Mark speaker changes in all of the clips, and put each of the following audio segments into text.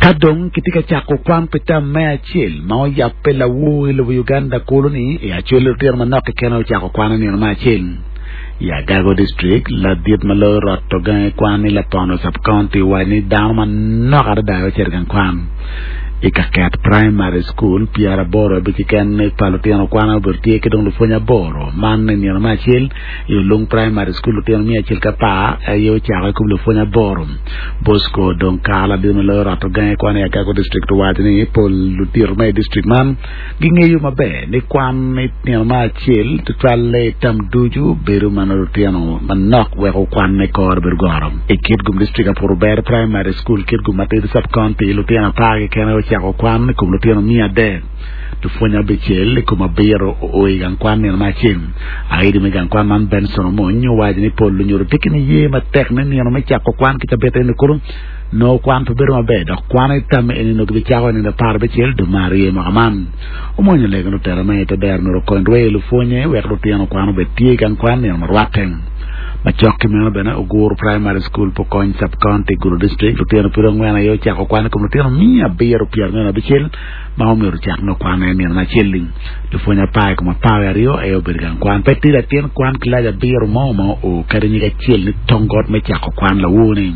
Speaker 1: Ka dong kitye ka cako kwan pi tam me acel ma oyabbe lawor i lobo Uganda kulu-ni, i Acholi lutino manok keken aye ocako kwan i nino me acel. I Agago District, ladit ma loyo roto gangi kwan i Lapono Sub-County owaco ni dano manok adada aye ocito i gang kwan. I Kaket Primary School, 85 keken pa lutino kwan aye obedo tye ki dong lupwony aboro. Man i nino me acel, i Olung Primary School lutino miya acel ki apar aye ocako i kom lupwony aboro. Bosco dong kare ladit ma loyo roto gangi kwan i Agago District owaco ni pol ludito ma i district man Gingeyo maber ni kwan i nino me acel tutwalle i tam ducu bedo ma nongo lutino manok weko kwanne kore bedo goro. I Kitgum District Apuru Ber Primary School, Kitgum Matidi Sub-County, lutino apar keken aye ocako kwan i kom lutino miya adek. Lupwonye abicel i kom abiro oo i gang kwan nino me acel. Aidi me gang kwan man Benson Omony owaco ni pol lunyodo tye ki niye matek ni nino me cako kwan ki cabit eni kulu Nongo kwan pe bedo maber dok kwan i tamme eni nongo gibicako i nino 15 dwe me aryo i mwaka man. Omwonyo lego lutela me i te dero myero okony rweyo lupwonye wek lutino kwan obed tye i gang kwan nino ma rwatte. Macok ki meno bene Oguru Primary School, Pokony Sub-County, Gulu District, lutino piri angwen aye ocako kwan i kom lutino 726 ma omyero ocak nongo kwan i nino acel-li. Lupwonye apar i kom apar wiye aryo aye obedo i gang kwan. Pe tye latin kwan kilaci abiro mo ma oo kadi nyig acel ni tong got me cako kwan lawor-ni.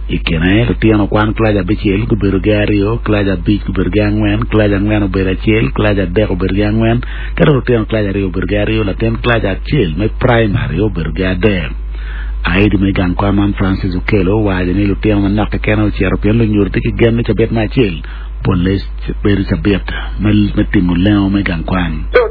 Speaker 1: I kine, lutino kwan kilaci abicel gubedo ki aryo, kilaci abic gubedo ki angwen, kilaci angwen obedo acel, kilaci adek obedo ki angwen, ki dok lutino kilaci aryo obedo ki aryo, latin kilaci acel me praimari obedo ki adek. Aidi me gang kwan man Francis Okello owaco ni lutino manok keken aye ocito pien lunyodo tye ki gen ni cabit me acel polle bedo cabit me timo lengo me gang kwan.